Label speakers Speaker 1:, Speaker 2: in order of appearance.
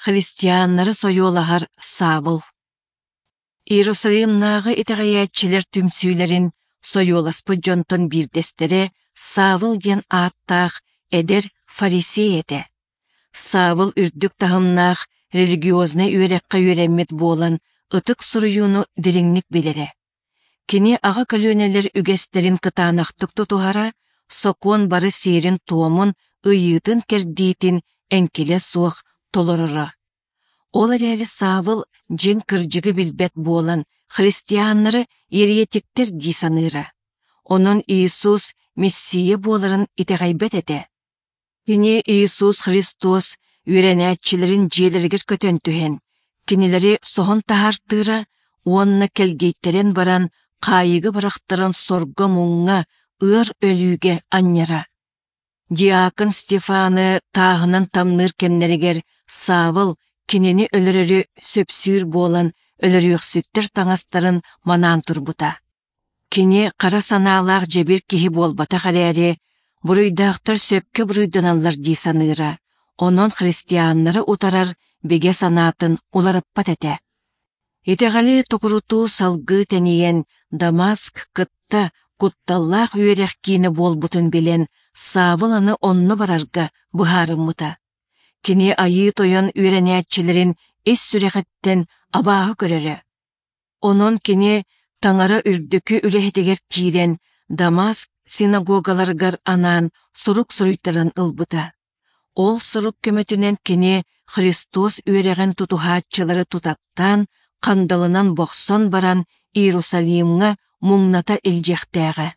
Speaker 1: Христианнары сойуолаһар Савл. Иерусалимнааҕы итэҕэйээччилэр түмсүүлэрин сойуоласпыт дьонтон биирдэстэрэ Савл диэн ааттаах эдэр фарисей этэ. Савл үрдүк таһымнаах религиознай үөрэххэ үөрэммит буолан ытык суруйууну дириҥник билэрэ. Кини аҕа көлүөнэлэр үгэстэрин кытаанахтык тутуһара, сокуон бары сиэрин-туомун, ыйыытын-кэрдиитин эҥкилэ суох толороро. Ол эрээри Савл дьиҥ кырдьыгы билбэт буолан, христианнары еретиктэр дии саныыра. Онон Иисус Мессия буоларын итэҕэйбэт этэ. Кини Иисус Христос үөрэнээччилэрин дьиэлэригэр көтөн түһэн, кинилэри соһон таһаартыыра уонна кэлгийтэрэн баран хаайыыга бырахтаран сорго-муҥҥа, ыар өлүүгэ анньара. Диакон Стефаны тааһынан тамныыр кэмнэригэр Савл кинини өлөрөрү сөпсүүр буолан өлөрүөхсүттэр таҥастарын манаан турбута. Кини хара санаалаах дьэбир киһи буолбатах эрээри, буруйдаахтар сөпкө буруйданаллар дии саныыра, онон христианнары утарар бигэ санаатын уларыппат этэ. Итэҕэли токурутуу салгыы тэнийэн Дамаск кытта кутталлаах үөрэх киинэ буолбутун билэн Савл аны онно барарга быһаарыммыта. Кини Айыы Тойон үөрэнээччилэрин ис сүрэҕиттэн абааһы көрөрө. Онон кини Таҥара үрдүкү үлэһитигэр киирэн Дамаск синагогаларыгар анаан сурук суруйтаран ылбыта. Ол сурук көмөтүнэн кини Христос үөрэҕин тутуһааччылары тутаттаан, хандалынан бохсон баран Иерусалимҥа муҥната илдьиэхтээҕэ.